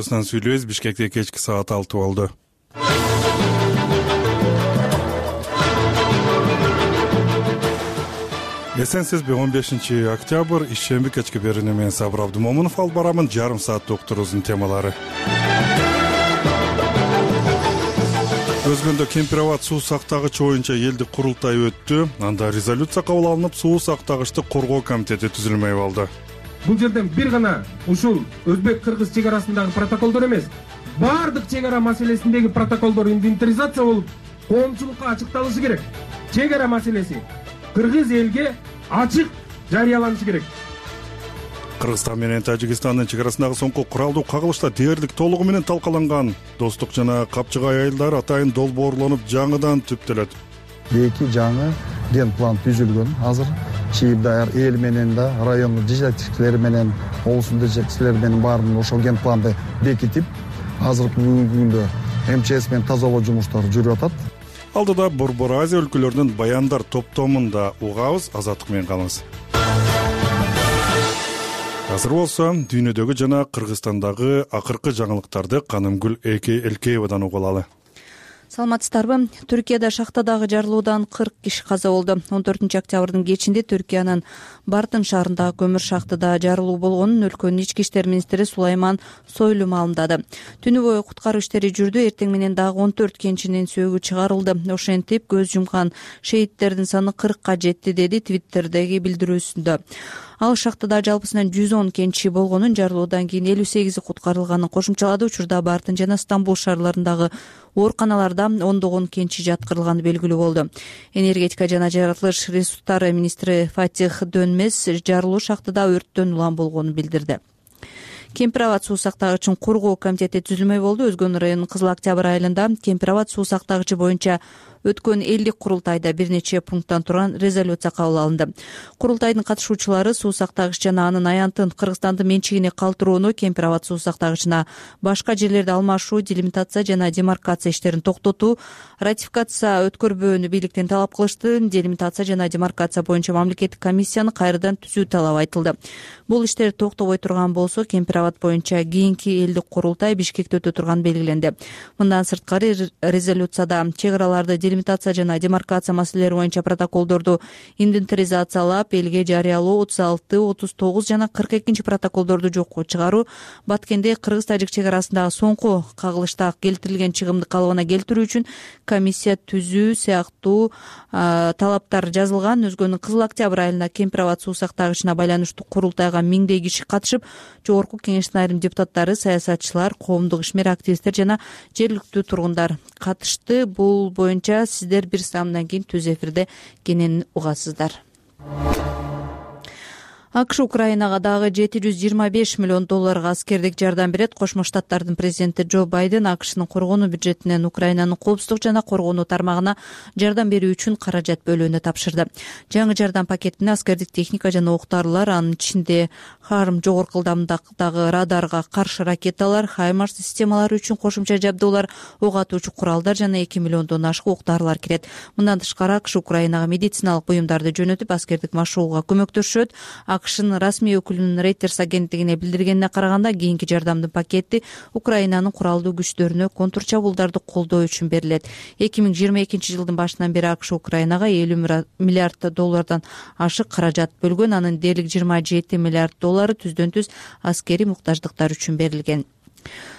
Сүйлөбүз. Бишкекте кечки саат 6 болду. Эсенсизби, 15 октябрь ишемби кечки берүүнү мен Сабыр Абдымомунов алып барамын. Жарым саат докторубуздун темалары. Өзгөндө Кемпир-Абад суу сактагычы боюнча элдик курултай өттү. Анда резолюция кабыл алынып, суу сактагычты коргоо комитети түзүлмөй калды. Бул жерден бир гана ушул өзбек-кыргыз чек арасындагы протоколдор эмес, баардык чек ара маселесиндеги протоколдор инвентаризация болуп, коомчулукка ачыкталышы керек. Чек ара маселеси кыргыз элге ачык жарыяланышы керек. Кыргызстан менен Тажикстандын чек арасындагы соңку куралдуу кагылышта дээрлик толугу менен талкаланган. Достук жана Капчыгай айылдары атайын долбоорлонуп, жаңыдан түптөлөт. Эки жаңы ген план түзүлгөн. Азыр Чийибдар эл менен да райондун жетекчилери менен, облустун жетекчилери менен баарын ошол ген планды бекитип, азыркы күндө МЧС менен тазалоо жумуштары жүрүп атат. Алдыда Борбор Азия өлкөлөрүнүн баяндар топтомунда угабыз. Азаттык менен калыңыз. Азыр болсо дүйнөдөгү жана Кыргызстандагы акыркы жаңылыктарды Канымгүл Элкеевадан угуп алалы. Саламатсыздарбы? Түркияда шахтадагы жарылуудан 40 киши каза болду. 14 октябрдын кечинде Түркиянын Бартын шаарындагы көмүр шахтада жарылуу болгонун өлкөнүн ички иштер министри Сулайман Сойлу маалымдады. Түнү бою куткаруу иштери жүрдү. Эртең менен дагы 14 кенчинин сөөгү чыгарылды. Ошентип көз жумкан шейиттердин саны 40ка жетти, деди Твиттердеги билдирүүсүндө. Ал шахтада жалпысынан 110 кенчи болгонун, жарылуудан кийин 58 куткарылганын кошумчалады. Учурда Бартын жана Стамбул шаарларындагы ооруканаларда ондогон кенчи жаткырылганы белгилүү болду. Энергетика жана жаратылыш ресурстары министри Фатих Дөнмес жарылуу шахтада өрттөн улам болгонун билдирди. Кемпир-Абад суу сактагычын коргоо комитети түзүлмөй болду. Өзгөн районунун Кызыл Октябрь айылында Кемпир-Абад суу сактагычы боюнча өткөн элдик курултайда бир нече пункттан турган резолюция кабыл алынды. Курултайдын катышуучулары суу сактагыч жана анын аянтын Кыргызстандын менчигине калтырууну, Кемпир-Абад суу сактагычына башка жерлерди алмашуу, делимитация жана демаркация иштерин токтотуу, ратификация өткөрбөөнү бийликтен талап кылышты. Делимитация жана демаркация боюнча мамлекеттик комиссияны кайрадан түзүү талабы айтылды. Бул иштер токтобой турган болсо, Кемпир-Абад боюнча кийинки элдик курултай Бишкекте өтө турган белгиленди. Мындан сырткары резолюцияда чек араларды делимитация жана демаркация маселелери боюнча протоколдорду инвентаризациялап, элге жарыялоо, 36, 39 жана 42 протоколдорду жокко чыгаруу, Баткенде Кыргыз-Тажик чек арасындагы соңку кагылышта келтирилген чыгымды калыбына келтирүү үчүн комиссия түзүү сыяктуу талаптар жазылган. Өзгөнүн Кызыл Октябрь айылында Кемпир-Абад суу сактагычына байланыштуу курултайга миңдей киши катышып, жогорку кеңештин айрым депутаттары, саясатчылар, коомдук ишмер, активисттер жана жергиликтүү тургундар катышты. Бул боюнча сиздер бир саамдан кийин түз эфирде кенен угасыздар. АКШ Украинага дагы $725 миллион аскердик жардам берет. Кошмо Штаттардын президенти Джо Байден АКШнын коргонуу бюджетинен Украинанын коопсуздук жана коргонуу тармагына жардам берүү үчүн каражат бөлүүнү тапшырды. Жаңы жардам пакетине аскердик техника жана октарлар, анын ичинде Харм жогорку ылдамдыктагы радарга каршы ракеталар, Хаймарс системалары үчүн кошумча жабдуулар, ок атуучу куралдар жана 2 миллиондон ашык октарлар кирет. Мындан тышкары АКШ Украинага медициналык буюмдарды жөнөтүп, аскердик машыгууга көмөктөшөт. АКШнын расмий өкүлүнүн Reuters агенттигине билдиргенине караганда, кийинки жардамдын пакети Украинанын куралдуу күчтөрүнө контрчабуулдарды колдоо үчүн берилет. 2022 жылдын башынан бери АКШ Украинага $50 миллиард ашык каражат бөлгөн. Анын дээрлик $27 миллиард түздөн-түз аскерий муктаждыктар үчүн берилген.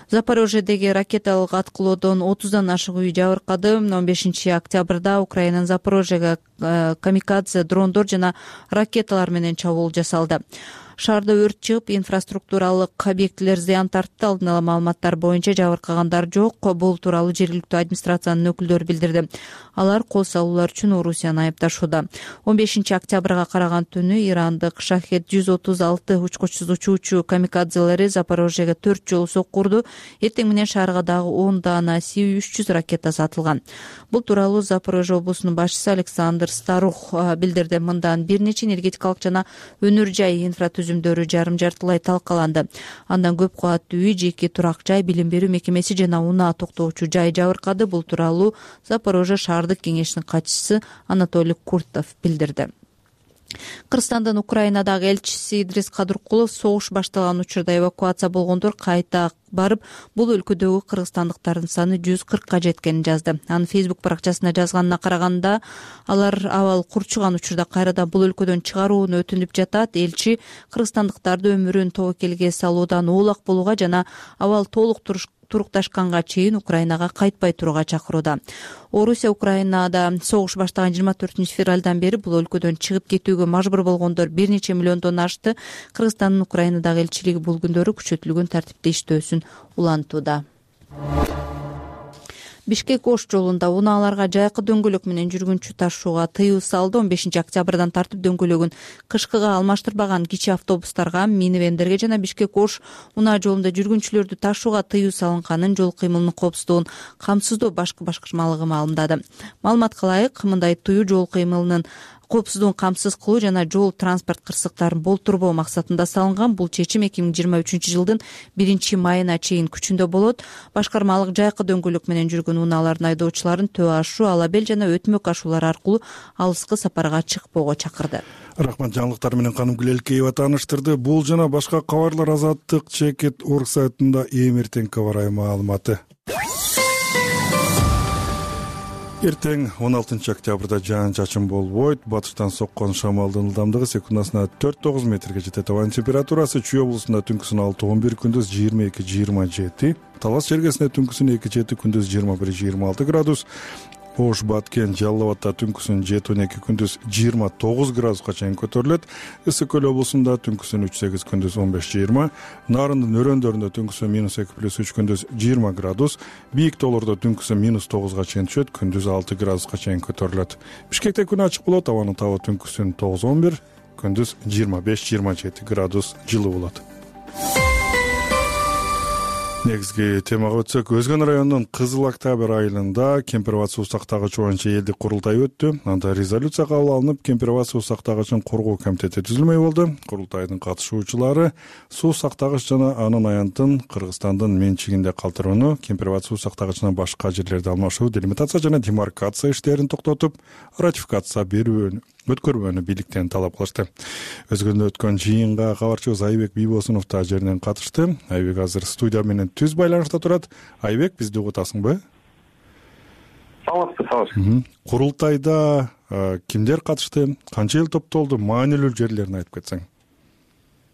Запорожьедеги ракеталык аткылоодон 30дан ашык үй жабыркады. 15 октябрда Украинанын Запорожьеге камикадзе дрондор жана ракеталар менен чабуул жасалды. Шаарда өрт чыгып, инфраструктуралык объектилер зыян тартты. Алдын ала маалыматтар боюнча жабыркагандар жок. Бул тууралуу жергиликтүү администрациянын өкүлдөрү билдирди. Алар кол салуулар үчүн Орусияны айыпташууда. 15 октябрга караган түнү ирандык Шахет 136 учкучсуз учуучу камикадзелери Запорожьеге 4 жолу сокку урду. Эртең менен шаарга дагы 10 даана Су-300 ракетасы атылган. Бул тууралуу Запорожье облусунун башчысы Александр Старух билдирди. Мындан бир нече энергетикалык жана өнөр жай инфратүзүмдөрү жарым жартылай талкаланды. Андан көп кабаттуу үй, жеке турак жай, билим берүү мекемеси жана унаа токтоочу жай жабыркады. Бул тууралуу Запорожье шаардык кеңешинин катчысы Анатолий Куртов билдирди. Кыргызстандын Украинадагы элчиси Идрис Кадыркулов согуш башталган учурда эвакуация болгондор кайта барып, бул өлкөдөгү кыргызстандыктардын саны 140ка жеткенин жазды. Анын Facebook баракчасына жазганына караганда, алар абал курчуган учурда кайрадан бул өлкөдөн чыгарууну өтүнүп жатат. Элчи кыргызстандыктарды өмүрүн тобокелге салуудан оолак болууга жана абал толук турукташканга чейин Украинага кайтпай турууга чакырууда. Орусия Украинада согуш баштаган 24-февралдан бери бул өлкөдөн чыгып кетүүгө мажбур болгондор бир нече миллиондон ашты. Кыргызстандын Украинадагы элчилиги бул күндөрү күчөтүлгөн тартипте иштөөсүн улантууда. Бишкек-Ош жолунда унааларга жайкы дөңгөлөк менен жүргүнчү ташууга тыюу салды. 15-октябрдан тартып дөңгөлөгүн кышкыга алмаштырбаган кичи автобустарга, минивендерге жана Бишкек-Ош унаа жолунда жүргүнчүлөрдү ташууга тыюу салынганын жол кыймылынын коопсуздугун камсыздоо башкы башкармалыгы маалымдады. Маалыматка ылайык, мындай тыюу жол кыймылынын коопсуздугун камсыз кылуу жана жол транспорт кырсыктарын болтурбоо максатында салынган. Бул чечим 2023-жылдын 1-майына чейин күчүндө болот. Башкармалык жайкы дөңгөлөк менен жүргөн унаалардын айдоочуларын Төө ашуу, Алабел жана Өтмөк ашуулар аркылуу алыскы сапарга чыкпоого чакырды. Рахмат, жаңылыктар менен Канымгүл Элкеева тааныштырды. Бул жана башка кабарлар Азаттык Чекит орг сайтында эртең кабар маалыматы. Эртең 16 октябрда жаан-чачын болбойт. Батыштан соккон шамалдын ылдамдыгы секундасына 4-9 метрге жетет. Абанын температурасы Чүй облусунда түнкүсүн 6-11, күндүз 22-27. Талас чергесинде түнкүсүн 2-7, күндүз 21-26 градус. Ош, Баткен, Жалал Абадта түнкүсүн 7-12, күндүз 29 градуска чейин көтөрүлөт. Ысык Көл облусунда түнкүсүн 3-8, күндүз 15-20. Нарындын өрөөндөрүндө түнкүсүн -2+3, күндүз 20 градус. Бийик тоолордо түнкүсүн -9га чейин түшөт, күндүз 6 градуска чейин көтөрүлөт. Бишкекте күн ачык болот. Абанын табы түнкүсүн 9-11, күндүз 25-27 градус жылуу болот. Негизги темага өтсөк, Өзгөн районунун Кызыл Октябрь айылында кемпир-абад суу сактагыч боюнча элдик курултай өттү. Анда резолюция кабыл алынып, кемпир-абад суу сактагычын коргоо комитети түзүлмөй болду. Курултайдын катышуучулары суу сактагыч жана анын аянтын Кыргызстандын менчигинде калтырууну, кемпир-абад суу сактагычынан башка жерлерде алмашуу, делимитация жана демаркация иштерин токтотуп, ратификация өткөрбөөнү бийликтен талап кылышты. Өзгөндө өткөн жыйынга кабарчыбыз Айбек Бийбосунов да жеринен катышты. Айбек азыр студия менен түз байланышта турат. Айбек, бизди угутасыңбы? Саламатсызбы. Курултайда кимдер катышты, канча эл топтолду, маанилүү жерлерин айтып кетсең.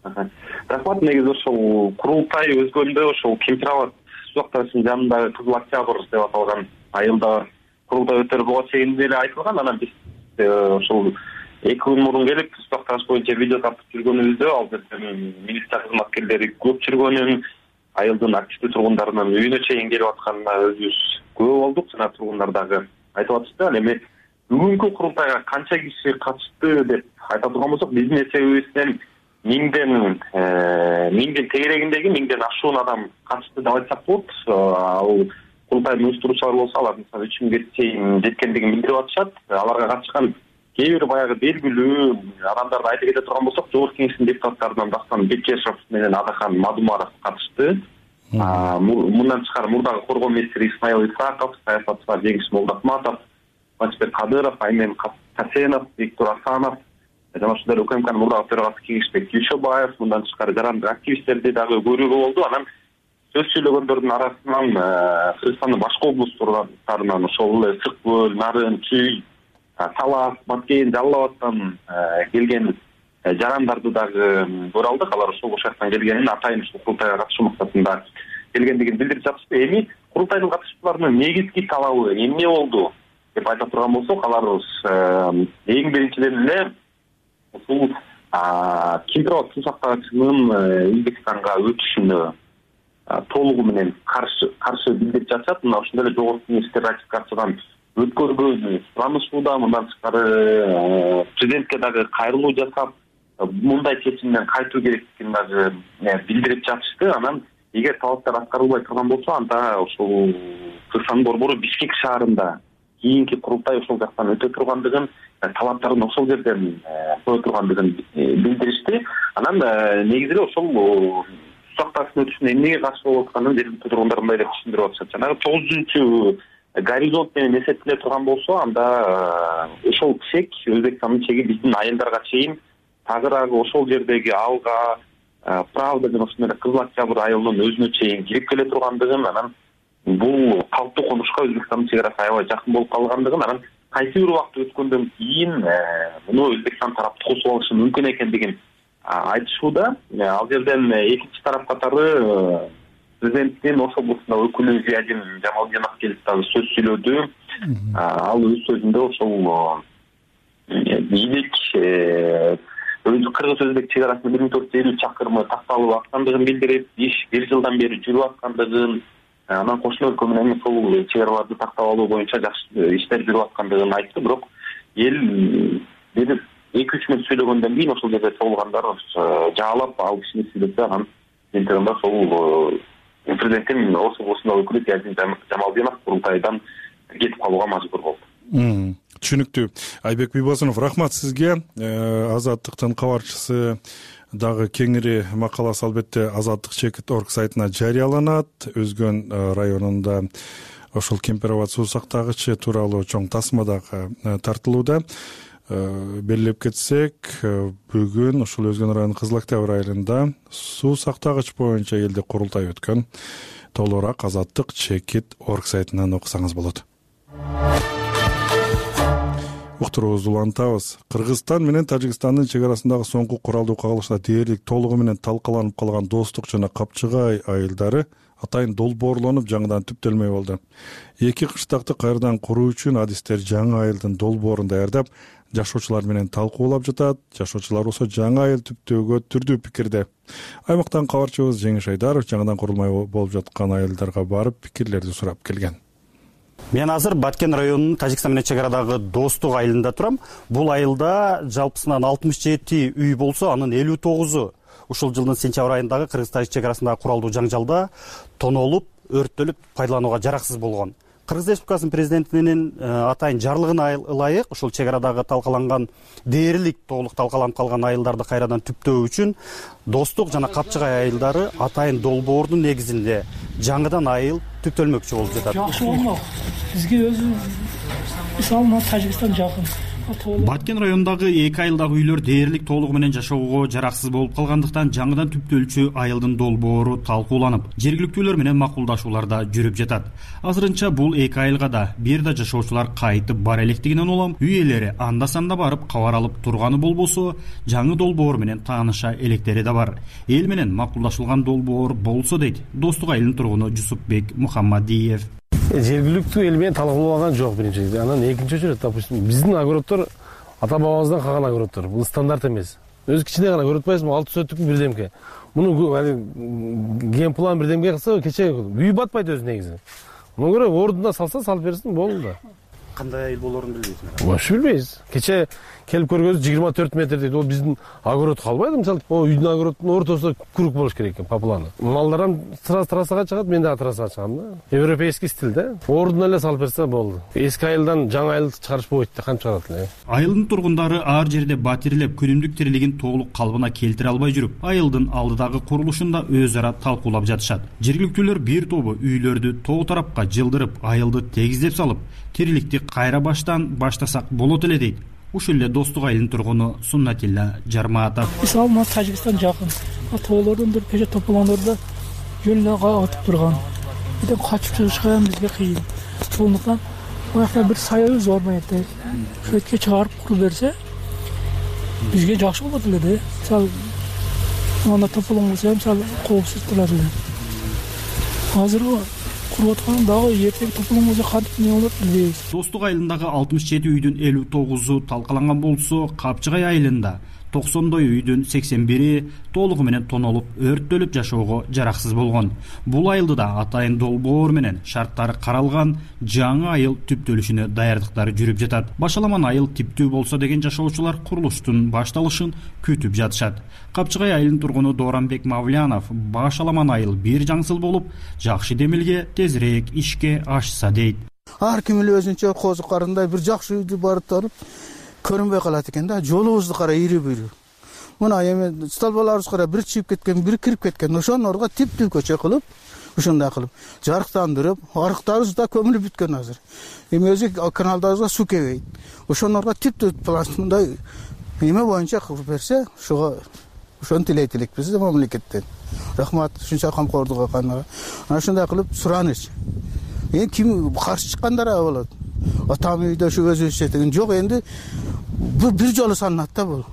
Рахмат. Негизи ошол курултай Өзгөндө ошол кемпир-абад суу сактагычынын жанындагы Кызыл Октябрь деп аталган айылда курултай өтөрбөгө чейин эле айтылган. Анан биз ошол 2 күн мурун келип суу сактагыч боюнча видео тартып жүргөнүбүздө ал жерде милиция кызматкерлери көп жүргөнүн, айылдын активдүү тургундарынын үйүнө чейин келип атканына өзүбүз күбө болдук жана тургундар дагы айтып атышты. Ал эми бүгүнкү курултайга канча киши катышты деп айта турган болсок, биздин эсебибизден 1000ден тегерегиндеги 1000ден ашуун адам катышты деп айтсак болот. Ал курултайдын уюштуруучулары болсо, алардын саны 3000ге чейин жеткендигин билдирип атышат. Аларга катышкан кээ бир баягы белгилүү адамдарды айта кете турган болсок, Жогорку Кеңештин депутаттарынан Дастан Бекешев менен Адахан Мадумаров катышты. Мындан тышкары мурдагы коргоо министри Исмаил Исаков, саясатчылар Жеңиш Молдахматов, Мачбек Кадыров, Аймен Касенов, Виктор Асанов жана ошондой УКМКнын мурдагы төрагасы Кеңешбек Күйшөбаев, мындан тышкары жарандык активисттерди дагы көрүүгө болду. Анан сөз сүйлөгөндөрдүн арасынан Кыргызстандын башка облустарынан ошол эле Ысык Көл, Нарын, Чүй, Талас, Баткен, Жалал Абадтан келген жарандарды дагы көрө алдык. Алар ошол жактан келгенин, атайын ушул курултайга катышуу максатында келгендигин билдирип жатышты. Эми курултайдын катышуучуларынын негизги талабы эмне болду деп айта турган болсок, алар эң биринчиден эле ушул кемпир-абад суу сактагычынын Өзбекстанга өтүшүнө толугу менен каршы билдирип жатышат. Мына ошондой эле Жогорку Кеңеште ратификациядан өткөрбөөнү суранышууда. Мындан тышкары президентке дагы кайрылуу жасап, мындай чечимден кайтуу керектигин дагы билдирип жатышты. Анан эгер талаптар аткарылбай турган болсо, анда ошол Кыргызстандын борбору Бишкек шаарында кийинки курултай ошол жактан өтө тургандыгын, талаптарын ошол жерден кое тургандыгын билдиришти. Анан негизи эле ошол суу сактагычтын өтүшүнө эмнеге каршы болуп атканын жергиликтүү тургундар мындай деп түшүндүрүп атышат. Жанагы 9 горизонт менен эсептеле турган болсо, анда ошол чек, Өзбекстандын чеги биздин айылдарга чейин тагыраагы ошол жердеги Алга, Правда жана ошондой эле Кызыл Октябрь айылынын өзүнө чейин кирип келе тургандыгын, анан бул калктуу конушка Өзбекстандын чек арасы аябай жакын болуп калгандыгын, анан кайсы бир убакыт өткөндөн кийин муну Өзбекстан тарапты косуп алышы мүмкүн экендигин айтышууда. Ал жерден экинчи тарап катары президенттин Ош облусундагы өкүлү Зиядин Жамалдинов келип дагы сөз сүйлөдү. Ал өз сөзүндө ошол бийлик кыргыз-өзбек чек арасында 1450 чакырымы такталып аткандыгын билдирип, иш 1 жылдан бери жүрүп аткандыгын, анан кошуна өлкө менен ушул чек араларды тактап алуу боюнча жакшы иштер жүрүп аткандыгын айтты. Бирок эл бир 2-3 мүнөт сүйлөгөндөн кийин ошол жерде чогулгандар жаалап ал кишини сүйлөсө, анан интернда ошол президенттин Ош облусундагы өкүлү Зиядин Жамалдинов курултайдан кетип калууга мажбур болду. Түшүнүктүү. Айбек Бийбосунов, рахмат сизге. Азаттыктын кабарчысы дагы кеңири макаласы албетте azadlik.org сайтына жарыяланат. Өзгөн районунда ошол Кемпероват суу сактагычы тууралуу чоң тасма дагы тартылууда. Белгилеп кетсек, бүгүн ушул Өзгөн районунун Кызыл Октябрь айылында суу сактагыч боюнча элде курултай өткөн. Толугураак azadlik.org сайтынан окусаңыз болот. Уктуруубузду улантабыз. Кыргызстан менен Тажикстандын чек арасындагы соңку куралдуу кагылышта дээрлик толугу менен талкаланып калган Достук жана Капчыгай айылдары атайын долбоорлонуп жаңыдан түптөлмөй болду. Эки кыштакты кайрадан куруу үчүн адистер жаңы айылдын долбоорун даярдап, жашоочулар менен талкуулап жатат. Жашоочулар болсо жаңы айыл түптөөгө түрдүү пикирде. Аймактан кабарчыбыз Жеңиш Айдаров жаңыдан курулмай болуп жаткан айылдарга барып пикирлерди сурап келген. Мен азыр Баткен районунун Тажикстан менен чек арадагы Достук айылында турам. Бул айылда жалпысынан 67 үй болсо, анын 59-у ушул жылдын сентябрь айындагы Кыргыз-Тажик чек арасындагы куралдуу жаңжалда тонолуп, өрттөлүп, пайдаланууга жараксыз болгон. Кыргыз Республикасынын президентинин атайын жарлыгына ылайык ушул чек арадагы талкаланган дээрлик толук талкаланып калган айылдарды кайрадан түптөө үчүн Достук жана Капчыгай айылдары атайын долбоордун негизинде жаңыдан айыл түптөлмөкчү болуп жатат. Жакшы болмок. Бизге өзү мисалы Тажикстан жакын. Баткен районундагы эки айылдагы үйлөр дээрлик толугу менен жашоого жараксыз болуп калгандыктан жаңыдан түптөлчү айылдын долбоору талкууланып, жергиликтүүлөр менен макулдашууларда жүрүп жатат. Азырынча бул эки айылга да бир да жашоочулар кайтып бара электигинен улам үй ээлери анда-санда барып кабар алып турганы болбосо, жаңы долбоор менен тааныша электери да бар. Эл менен макулдашылган долбоор болсо дейт Достук айылынын тургуну Жусупбек Мухаммадиев. Жергиликтүү эл менен талкууланган жок биринчи. Анан экинчи жүрөт, допустим, биздин огороддор ата бабабыздан калган огороддор. Бул стандарт эмес. Өзү кичине гана көрүп атпайсызбы? 6 сөттүк бирдемке. Муну генплан бирдемке кылса, кече үй батпайт өзү негизи. Муну көрө ордуна салса, салып берсин, болду да. Кандай айыл болорун билбейсиз? Вообще билбейбиз. Кече келип көргөнүз 24 метр дейт. Ол биздин огород калбайды. Мисалы, үйдүн огородунун ортосу курук болуш керек экен, по плану. Малдарым трассага чыгат, мен да трассага чыгам да. Европейский стилде. Ордуна эле салып берсе болду. Эски айылдан жаңы айыл чыгарыш болбойт да, кантип чыгарат эле. Айылдын тургундары ар жерде батирлеп, күнүмдүк тирилигин толук калыбына келтире албай жүрүп, айылдын алдыдагы курулушунда өз ара талкуулап жатышат. Жергиликтүүлөр бир тобу үйлөрдү тоо тарапка жылдырып, айылды тегиздеп салып, тириликти кайра баштан баштасак болот эле дейт. Ушул эле Достук айылынын тургуну Суннатилла Жармаатов. Мисалы Тажикстан жакын. Тоолордон кече тополондордо жөн эле катып турган. Бирден качып чыгышка ham бизге кыйын. Ошондуктан буякта бир саябыз бар мындай. Шөткө чыгарып куруп берсе, бизге жакшы болот эле да. Мисалы мына тополон болсо, мисалы коопсуз турат эле. Азыр куруп аткан дагы эртең тополон болсо кантип эмне болот билбейбиз. Достук айылындагы 67 үйдүн 59-у талкаланган болсо, Капчыгай айылында 90 үйдүн 81-и толугу менен тонолуп, өрттөлүп жашоого жараксыз болгон. Бул айылды да атайын долбоор менен шарттары каралган жаңы айыл түптөлүшүнө даярдыктары жүрүп жатат. Башаламан айыл типтүү болсо деген жашоочулар курулуштун башталышын күтүп жатышат. Капчыгай айылынын тургуну Дооранбек Мавлянов башаламан айыл бир жаңсыл болуп, жакшы демилге тезирээк ишке ашса дейт. Ар ким эле өзүнчө козу карындай бир жакшы үйдү барып туруп көрүнбөй калат экен да. Жолубузду кара ири-бири. Мына эми столбаларыбыз кара бир чыгып кеткен, бир кирип кеткен. Ошонорго типтүү көчө кылып, ошондой кылып жарыктандырып, арыктарыбыз да көмүлүп бүткөн азыр. Эми өзү каналдарыбызга суу келбейт. Ошонорго типтүү мындай эме боюнча кылып берсе, ошону тилейт элекпиз мамлекеттен. Рахмат, ушунча камкордук кылгандарга. Ana ошондой кылып сураныч. Эми ким каршы чыккандар болот? Атам үйдө ушу өзүбүзчө деген жок, энди бир жолу саналат да бул.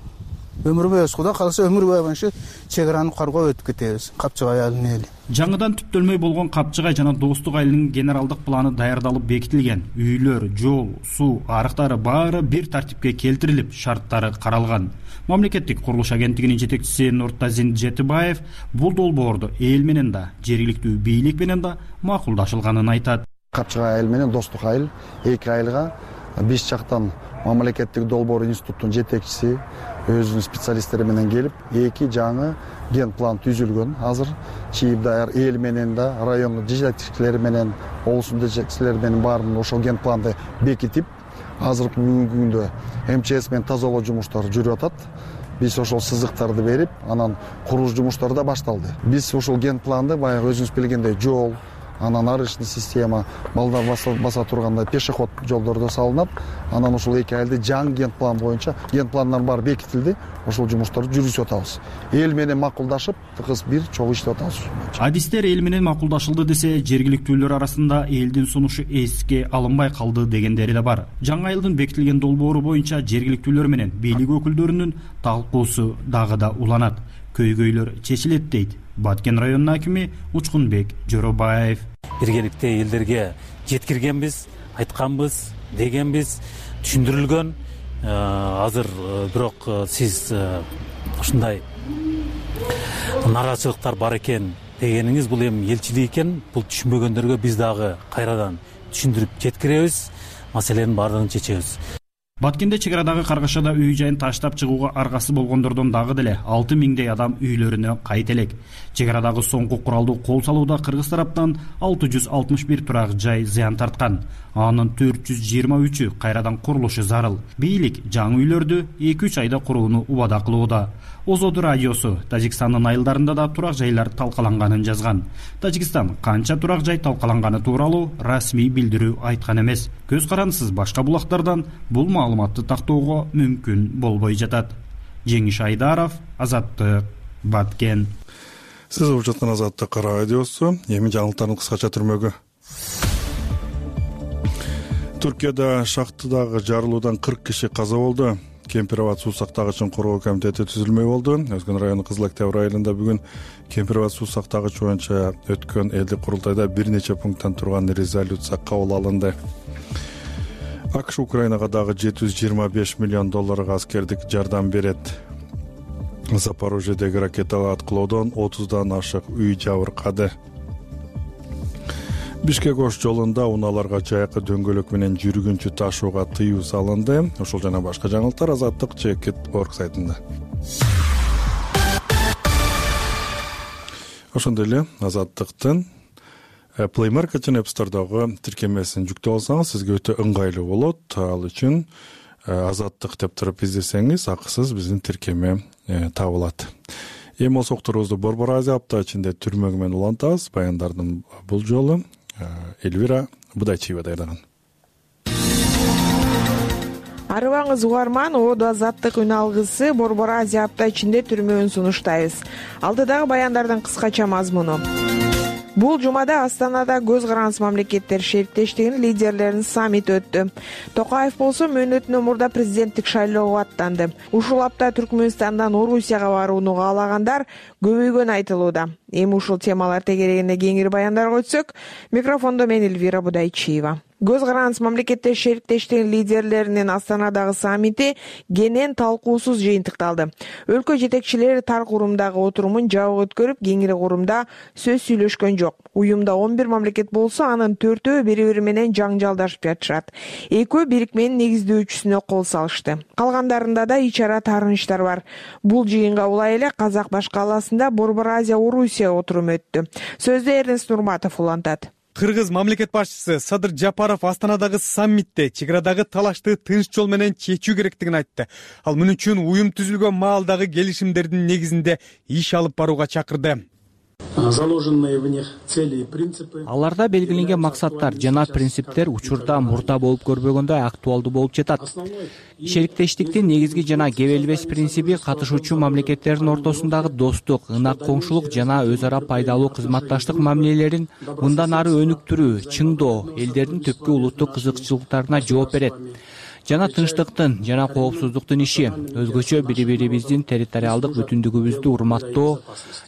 Өмүр бою Кудай кааласа өмүр бою ушу чек араны каргоо өтүп кетебиз. Капчыгай айылынын эли. Жаңыдан түптөлмөй болгон Капчыгай жана Достук айылынын генералдык планы даярдалып бекитилген. Үйлөр, жол, суу, арыктары баары бир тартипке келтирилип, шарттары каралган. Мамлекеттик курулуш агенттигинин жетекчиси Нуртазин Жетибаев бул долбоорду эл менен да, жергиликтүү бийлик менен да макулдашылганын айтат. Капчыгай айыл менен Достук айыл эки айылга биз жактан мамлекеттик долбоор институттун жетекчиси өзүнүн специалисттери менен келип, эки жаңы ген план түзүлгөн. Азыр чийип даяр эл менен да, райондун жетекчилери менен, облустун жетекчилери менен баарын ошол ген планды бекитип, азыркы бүгүнкү күндө МЧС менен тазалоо жумуштары жүрүп атат. Биз ошол сызыктарды берип, анан курулуш жумуштары да башталды. Биз ошол ген планды баягы өзүңүз билгендей жол, анан арычный система, балдар баса тургандай пешеход жолдор да салынат. Анан ошол эки айылды жаңы ген план боюнча, ген пландын баары бекитилди. Ошол жумуштарды жүргүзүп атабыз. Эл менен макулдашып, тыгыз бир чогуу иштеп атабыз. Адистер эл менен макулдашылды десе, жергиликтүүлөр арасында элдин сунушу эске алынбай калды дегендери да бар. Жаңы айылдын бекитилген долбоору боюнча жергиликтүүлөр менен бийлик өкүлдөрүнүн талкуусу дагы да уланат. Көйгөйлөр чечилет дейт Баткен районунун акими Учкунбек Жоробаев. Биргеликте элдерге жеткиргенбиз, айтканбыз, дегенбиз, түшүндүрүлгөн. Азыр бирок сиз ушундай нараачылыктар бар экен дегениңиз бул эми элчилик экен. Бул түшүнбөгөндөргө биз дагы кайрадан түшүндүрүп жеткиребиз, маселенин баардыгын чечебиз. Баткенде чек арадагы каргашада үй жайын таштап чыгууга аргасы болгондордон дагы деле 6000 адам үйлөрүнө кайт элек. Чек арадагы соңку куралдуу кол салууда кыргыз тараптан 661 турак жай зыян тарткан. Анын 423-ü кайрадан курулушу зарыл. Бийлик жаңы үйлөрдү 2-3 айда курууну убада кылууда. Озоду радиосу Тажикстандын айылдарында да турак жайлар талкаланганын жазган. Тажикстан канча турак жай талкаланганы тууралуу расмий билдирүү айткан эмес. Көз карандысыз башка булактардан бул маалыматты тактоого мүмкүн болбой жатат. Жеңиш Айдаров, Азаттык, Баткен. Сиз угуп жаткан Азаттык радиосу. Эми жаңылыктардын кыскача түрмөгү. Түркияда шахтадагы жарылуудан 40 киши каза болду. Кемпирабад суу сактагычын коргоо комитети түзүлмөй болду. Өзгөн району Кызыл Октябрь айылында бүгүн Кемпирабад суу сактагыч боюнча өткөн элдик курултайда бир нече пункттан турган резолюция кабыл алынды. АКШ Украинага дагы $725 миллион аскердик жардам берет. Запорожьедеги ракеталуу аткылоодон 30дан ашык үй жабыркады. Бишкек-Ош жолунда унааларга жайкы дөңгөлөк менен жүргүнчү ташууга тыюу салынды. Ошол жана башка жаңылыктар Азаттык Чекит.org сайтында. Ошондой эле Азаттыктын Play Market жана App Store'дагы тиркемесин жүктөп алсаңыз, сизге өтө ыңгайлуу болот. Ал үчүн Азаттык деп туруп издесеңиз, акысыз биздин тиркеме табылат. Эми болсо окторубузду Борбор Азия апта ичинде түрмөгү менен улантабыз. Баяндардын бул жолу Эльвира Будайчиева даярдаган. Арыбаңыз угарман, Оодо Азаттык үн алгысы Борбор Азия апта ичинде түрмөгүн сунуштайбыз. Алдыдагы баяндардын кыскача мазмуну. Бул жумада Астанада көз карандысыз мамлекеттер шериктештигинин лидерлеринин саммити өттү. Токаев болсо мөөнөтүнөн мурда президенттик шайлоого аттанды. Ушул апта Түркмөнстандан Орусияга барууну каалагандар көбөйгөнү айтылууда. Эми ушул темалар тегерегинде кеңири баяндарга өтсөк, микрофондо мен Эльвира Будайчиева. Көз карандысыз мамлекеттер шериктештигинин лидерлеринин Астанадагы саммити кенен талкуусуз жыйынтыкталды. Өлкө жетекчилери тар курумдагы отурумун жабык өткөрүп, кеңири курумда сөз сүйлөшкөн жок. Уюмда 11 мамлекет болсо, анын 4-өө бири-бири менен жаңжалдашып жатышат. Экөө бирикменин негиздөөчүсүнө кол салышты. Калгандарында да ич ара таарынычтар бар. Бул жыйынга улай эле Казак баш калаасында Борбор Азия Орусия отуруму өттү. Сөздү Эрнест Нурматов улантат. Кыргыз мамлекет башчысы Садыр Жапаров Астанадагы саммитте чек арадагы талашты тынч жол менен чечүү керектигин айтты. Ал мун үчүн уюм түзүлгөн маалдагы келишимдердин негизинде иш алып барууга чакырды. заложенные в них цели и принципы. Аларда белгиленген максаттар жана принциптер учурда мурда болуп көрбөгөндөй актуалдуу болуп жатат. Шериктештиктин негизги жана кебелбес принциби катышуучу мамлекеттердин ортосундагы достук, ынак коңшулук жана өз ара пайдалуу кызматташтык мамилелерин мындан ары өнүктүрүү, чыңдоо, элдердин түпкү улуттук кызыкчылыктарына жооп берет жана тынчтыктын жана коопсуздуктун иши, өзгөчө бири-бирибиздин территориалдык бүтүндүгүбүздү урматтоо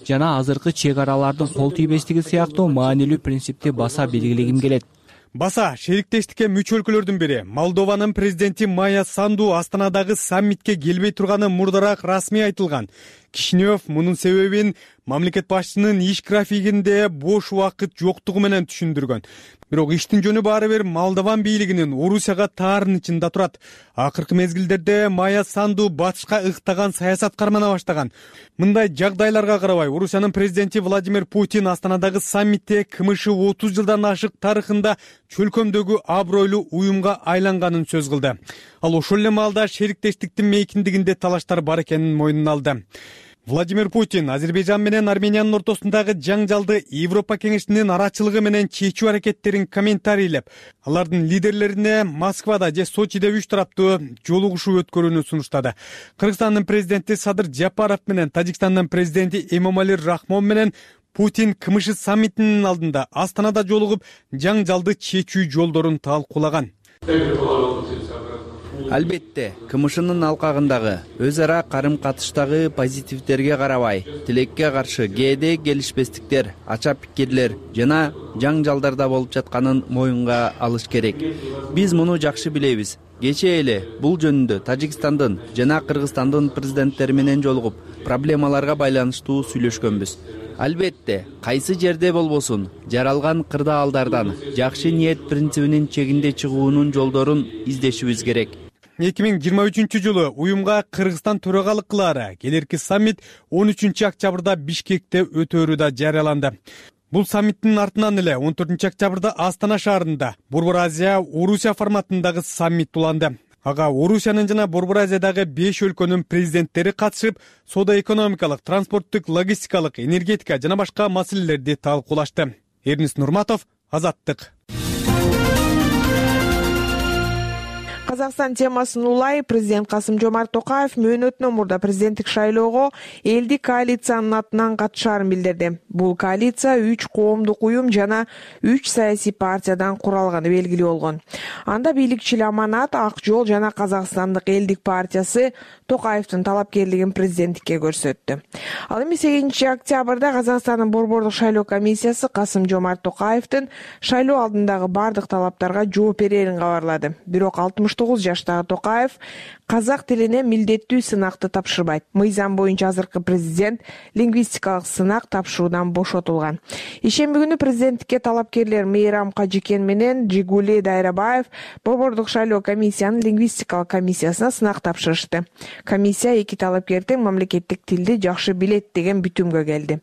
жана азыркы чек аралардын кол тийбестиги сыяктуу маанилүү принципти баса белгилегим келет. Баса шериктештикке мүчө өлкөлөрдүн бири Молдованын президенти Майя Санду Астанадагы саммитке келбей турганы мурдараак расмий айтылган. Кишинев мунун себебин мамлекет башчысынын иш графигинде бош убакыт жоктугу менен түшүндүргөн. Бирок иштин жөнү баары бир Молдован бийлигинин Орусияга таарынычында турат. Акыркы мезгилдерде Майя Санду батышка ыктаган саясат кармана баштаган. Мындай жагдайларга карабай Орусиянын президенти Владимир Путин Астанадагы саммитте КМШ 30 жылдан ашык тарыхында чөлкөмдөгү абройлуу уюмга айланганын сөз кылды. Ал ошол эле маалда шериктештиктин мейкиндигинде талаштар бар экенин мойнуна алды. Владимир Путин Азербайжан менен Армениянын ортосундагы жаңжалды Европа кеңешинин арачылыгы менен чечүү аракеттерин комментарийлеп, алардын лидерлерине Москвада же Сочиде 3 тараптуу жолугушуу өткөрүүнү сунуштады. Кыргызстандын президенти Садыр Жапаров менен Тажикстандын президенти Эмомали Рахмон менен Путин КМШ саммитинин алдында Астанада жолугуп, жаңжалды чечүү жолдорун талкуулаган. Албетте, КМШнын алкагындагы өз ара карым-катыштагы позитивдерге карабай, тилекке каршы кээде келишпестиктер, ача пикирлер жана жаңжалдарда болуп жатканын моюнга алыш керек. Биз муну жакшы билебиз. Кечээ эле бул жөнүндө Тажикстандын жана Кыргызстандын президенттери менен жолугуп, проблемаларга байланыштуу сүйлөшкөнбүз. Албетте, кайсы жерде болбосун, жаралган кырдаалдардан жакшы ниет принцибинин чегинде чыгуунун жолдорун издешибиз керек. 2023 жылы уюмга Кыргызстан төрагалык кылаары. Келерки саммит 13 октябрда Бишкекте өтөөрү да жарыяланды. Бул саммиттин артынан эле 14 октябрда Астана шаарында Борбор Азия Орусия форматындагы саммит уланды. Ага Орусиянын жана Борбор Азиядагы 5 өлкөнүн президенттери катышып, соода-экономикалык, транспорттук, логистикалык, энергетика жана башка маселелерди талкуулашты. Эрнис Нурматов, Азаттык. Казакстан темасын улай президент Касым-Жомарт Токаев мөөнөтүнөн мурда президенттик шайлоого элдик коалициянын атынан катышаарын билдирди. Бул коалиция 3 коомдук уюм жана 3 саясий партиядан куралганы белгилүү болгон. Анда бийликчил Аманат, Ак жол жана Казакстандык элдик партиясы Токаевдин талапкерлигин президенттикке көрсөттү. Ал эми 8 октябрда Казакстандын борбордук шайлоо комиссиясы Касым-Жомарт Токаевдин шайлоо алдындагы бардык талаптарга жооп берерин кабарлады. Бирок 69 жаштагы Токаев казак тилине милдеттүү сынакты тапшырбайт. Мыйзам боюнча азыркы президент лингвистикалык сынак тапшыруудан бошотулган. Ишемби күнү президенттикке талапкерлер Мейрам Кажикен менен Жигули Дайрабаев борбордук шайлоо комиссиянын лингвистикалык комиссиясына сынак тапшырышты. Комиссия эки талапкердин мамлекеттик тилди жакшы билет деген бүтүмгө келди.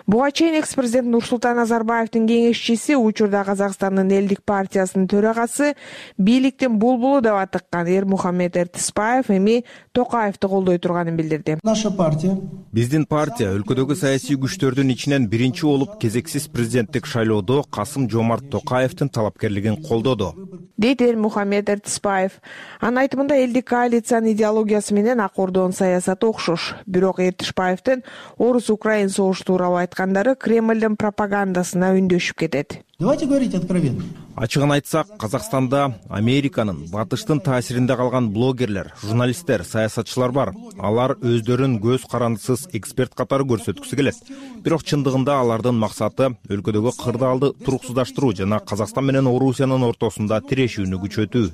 Буга чейин экс-президент Нурсултан Назарбаевдин кеңешчиси, учурда Казакстандын элдик партиясынын төрагасы, бийликтин булбулу деп атыккан Эрмухамед Эртисбаев эми Токаевди колдой турганын билдирди. Наша партия. Биздин партия өлкөдөгү саясий күчтөрдүн ичинен биринчи болуп кезексиз президенттик шайлоодо Касым-Жомарт Токаевдин талапкерлигин колдоду, дейт Эрмухамед Эртисбаев. Анын айтымында элдик коалициянын идеологиясы менен Ак Ордонун саясаты окшош. Бирок Эртисбаевдин орус-украин согушу тууралуу айткандары Кремлдин пропагандасына үндөшүп кетет. Давайте говорить откровенно. Ачыгын айтсак, Казакстанда Американын, Батыштын таасиринде калган блогерлер, журналисттер, саясатчылар бар. Алар өздөрүн көз карандысыз эксперт катары көрсөткүсү келет. Бирок чындыгында алардын максаты өлкөдөгү кырдаалды туруксуздаштыруу жана Казакстан менен Орусиянын ортосунда тирешүүнү күчөтүү.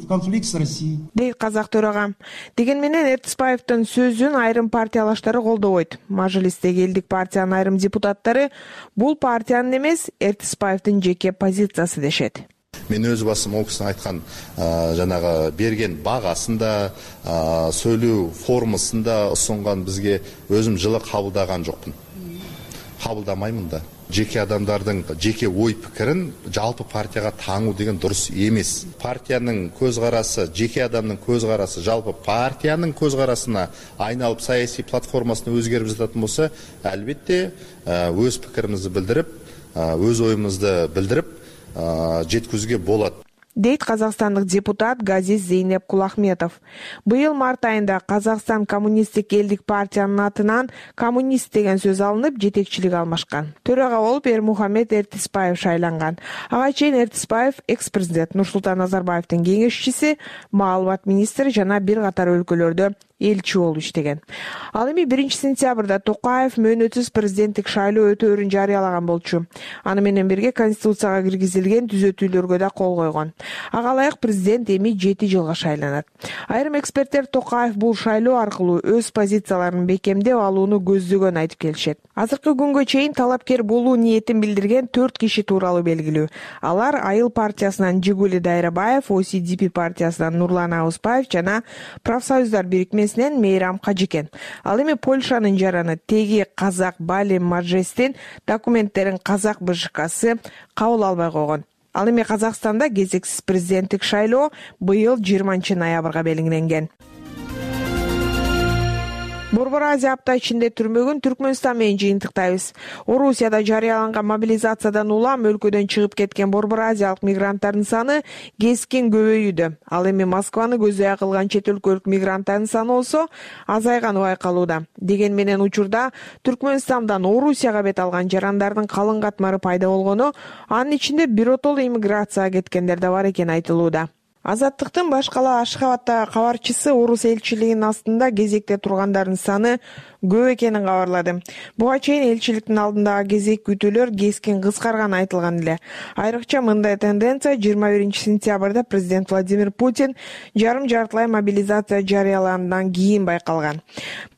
Конфликт с Россией. Дейт казак төрагам. Деген менен Эртисбаевдин сөзүн айрым партиялаштары колдобойт. Мажлистеги элдик партиянын айрым депутаттары бул партиянын эмес, Эртисбаевдин жеке позициясы дешет. Мен өз басым ол кісінің айтқан жанағы берген бағасында, сөйлеу формасында ұсынған бізге өзім жылы қабылдаған жоқпын. кабылдамаймын да. Жеке адамдардын жеке ой пикирин жалпы партияга таңуу деген дурус эмес. Партиянын көз карасы, жеке адамдын көз карасы жалпы партиянын көз карасына айналып саясий платформасына өзгерип жататын болсо, албетте өз пикиримизди билдирип, өз оюбузду билдирип жеткизүүгө болот, дейт казакстандык депутат Газиз Зейнеп Кулахметов. Быйыл март айында Казакстан коммунисттик элдик партиянын атынан коммунист деген сөз алынып, жетекчилик алмашкан. Төрага болуп Эрмухамед Эртиспаев шайланган. Ага чейин Эртиспаев экс-президент Нурсултан Назарбаевдин кеңешчиси, маалымат министри жана бир катар өлкөлөрдө элчи болуп иштеген. Ал эми 1-сентябрда Токаев мөөнөтсүз президенттик шайлоо өтөөрүн жарыялаган болчу. Аны менен бирге конституцияга киргизилген түзөтүүлөргө да кол койгон. Ага ылайык президент эми 7 жылга шайланат. Айрым эксперттер Токаев бул шайлоо аркылуу өз позицияларын бекемдеп алууну көздөгөн айтып келишет. Азыркы күнгө чейин талапкер болуу ниетин билдирген 4 киши тууралуу белгилүү. Алар Айыл партиясынан Жигули Дайрабаев, ОСДП партиясынан Нурлан Аузбаев жана Профсоюздар бирикмесинен Мейрам Кажикен. Ал эми Польшанын жараны теги казак Бали Маджестин документтерин казак БЖКсы кабыл албай койгон. Ал эми Казакстанда кезексиз президенттик шайлоо быйыл 20 ноябрга белгиленген. Борбор Азия апта ичинде түрмөгүн Түркмөнстан менен жыйынтыктайбыз. Орусияда жарыяланган мобилизациядан улам өлкөдөн чыгып кеткен Борбор Азиялык мигранттардын саны кескин көбөйүүдө. Ал эми Москваны көзөй кылган чет өлкөлүк мигранттардын саны болсо азайганы байкалууда. Деген менен учурда Түркмөнстандан Орусияга бет алган жарандардын калың катмары пайда болгону, анын ичинде биротоло иммиграцияга кеткендер да бар экени айтылууда. Азаттыктын башкала Ашхабадтагы кабарчысы орус элчилигинин астында кезекте тургандардын саны көп экенин кабарлады. Буга чейин элчиликтин алдындагы кезек күтүүлөр кескин кыскарганы айтылган эле. Айрыкча мындай тенденция 21-сентябрда президент Владимир Путин жарым-жартылай мобилизация жарыялагандан кийин байкалган.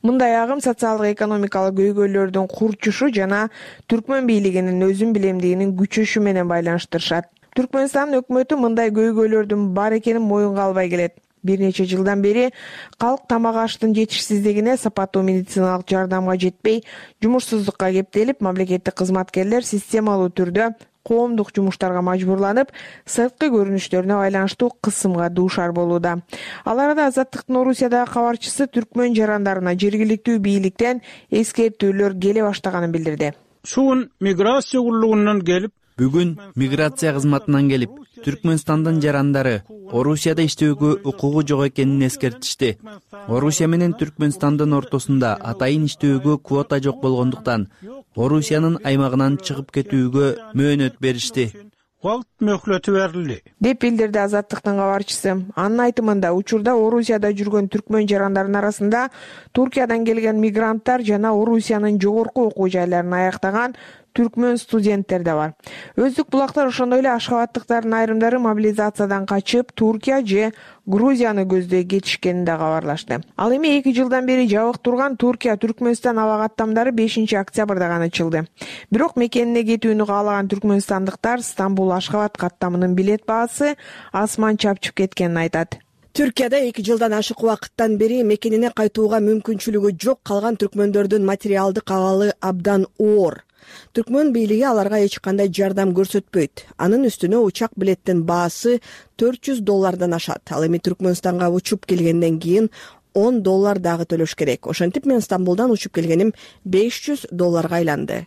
Мындай агым социалдык экономикалык көйгөйлөрдүн курчушу жана түркмөн бийлигинин өзүн билемдигинин күчөшү менен байланыштырышат. Түркмөнстандын өкмөтү мындай көйгөйлөрдүн бар экенин моюнга албай келет. Бир нече жылдан бери калк тамак аштын жетишсиздигине, сапаттуу медициналык жардамга жетпей, жумушсуздукка кептелип, мамлекеттик кызматкерлер системалуу түрдө коомдук жумуштарга мажбурланып, сырткы көрүнүштөрүнө байланыштуу кысымга дуушар болууда. Ал арада Азаттыктын Орусиядагы кабарчысы түркмөн жарандарына жергиликтүү бийликтен эскертүүлөр келе баштаганын билдирди. Шуун миграция куллугунан келип, бүгүн миграция кызматынан келип, Түркмөнстандын жарандары Орусияда иштөөгө укугу жок экенин эскертишти. Орусия менен Түркмөнстандын ортосунда атайын иштөөгө квота жок болгондуктан Орусиянын аймагынан чыгып кетүүгө мөөнөт беришти. Мөһлөтү берилди, деп билдирди Азаттыктын кабарчысы. Анын айтымында учурда Орусияда жүргөн түркмөн жарандарынын арасында Туркиядан келген мигранттар жана Орусиянын жогорку окуу жайларын аяктаган түркмөн студенттер да бар. Өздүк булактар ошондой эле ашхабадтыктардын айрымдары мобилизациядан качып, Туркия же Грузияны көздөй кетишкенин да кабарлашты. Ал эми 2 жылдан бери жабык турган Туркия-Түркмөнстан аба каттамдары 5-октябрда гана ачылды. Бирок мекенине кетүүнү каалаган түркмөнстандыктар Стамбул-Ашхабад каттамынын билет баасы асман чапчып кеткенин айтат. Түркияда 2 жылдан ашык убакыттан бери мекенине кайтууга мүмкүнчүлүгү жок калган түркмөндөрдүн материалдык абалы абдан оор. Түркмөн бийлиги аларга эч кандай жардам көрсөтпөйт. Анын үстүнө учак билеттин баасы $400 ашат. Ал эми Түркмөнстанга учуп келгенден кийин $10 дагы төлөш керек. Ошентип мен Стамбулдан учуп келгеним $500 айланды,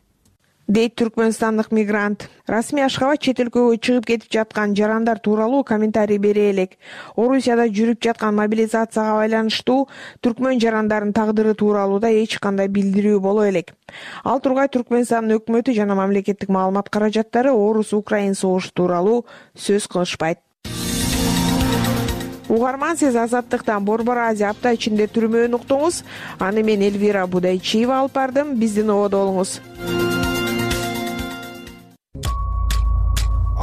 дейт түркмөнстандык мигрант. Расмий Ашхабад чет өлкөгө чыгып кетип жаткан жарандар тууралуу комментарий бере элек. Орусияда жүрүп жаткан мобилизацияга байланыштуу түркмөн жарандардын тагдыры тууралуу да эч кандай билдирүү боло элек. Ал тургай Түркмөнстандын өкмөтү жана мамлекеттик маалымат каражаттары орус-украин согушу тууралуу сөз кылышпайт. Угарман, сиз Азаттыктан Борбор Азия апта ичинде түрмөөнү уктуңуз. Аны мен Элвира Будайчиева алып бардым. Биздин ободо болуңуз.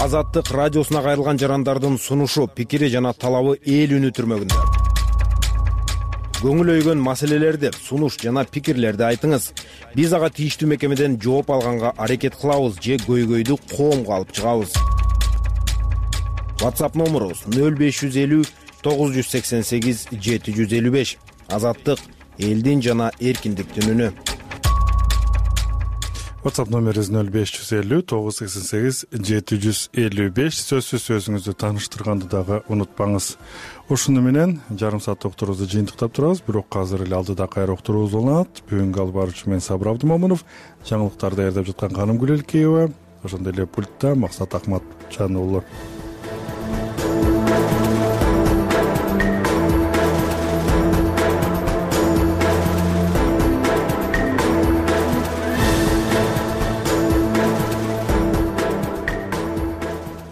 Азаттык радиосуна кайрылган жарандардын сунушу, пикири жана талабы эл үнү түрмөгүндө. Көңүл өйгөн маселелерди, сунуш жана пикирлерди айтыңыз. Биз ага тийиштүү мекемеден жооп алганга аракет кылабыз же көйгөйдү коомго алып чыгабыз. WhatsApp номерубуз 0550 988 755. Азаттык элдин жана эркиндиктин үнү. WhatsApp номерибиз 0550 988 755. Сөзсүз өзүңүздү тааныштырганды дагы унутпаңыз. Ушуну менен жарым саат уктурубузду жыйынтыктап турабыз, бирок азыр эле алдыда кайра уктуруубуз уланат. Бүгүнкү алып баруучу мен Сабыр Абдымомунов, жаңылыктарды даярдап жаткан Каным Гүлелкеева, ошондой эле пультта Максат Акматжан уулу.